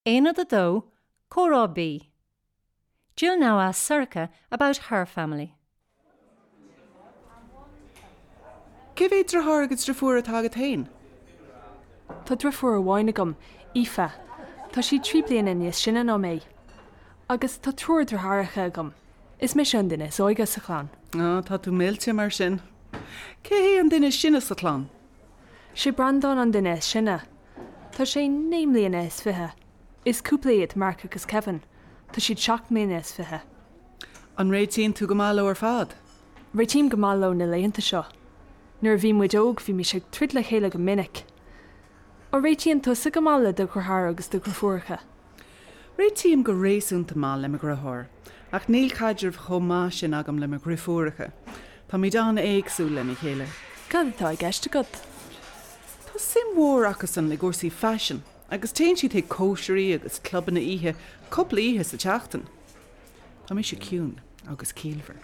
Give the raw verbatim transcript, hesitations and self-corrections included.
Aonad a dó, Comhrá B. Jill now asks Sorcha about her family. Cé mhéad deartháir agus deirfiúr atá agat féin? Tá deirfiúr amháin agam, Aoife. Tá sí trí bliana níos sine ná mé. Agus tá triúr deartháireacha agam. Is mise an duine is óige sa chlann. Á, tá tú millte mar sin. Cé hé an duine is sine sa chlann? Sé Breandán an duine is sine. Tá sé naoi mbliana is fiche. Is cúpla iad Mark agus Kevin. Tá siad seacht mbliana is fiche. An réitíonn tú go maith leo ar fad? Réitím go maith leo na laethanta seo. Nuair a bhí muid óg bhímis ag troid le chéile go minic. An réitíonn tusa go maith le do dheartháir agus do dheirfiúracha? Réitím go réasúnta maith le mo dheartháir, ach níl caidreamh chomh maith sin agam le mo dheirfiúracha. Táimid an-éagsúil lena chéile. Cad atá i gceist agat? Tá suim mhór acusan i gcúrsaí faisin agus téann siad chuig cóisirí agus clubanna oíche cúpla oíche sa tseachtain. Tá mise ciúin agus ciallmhar.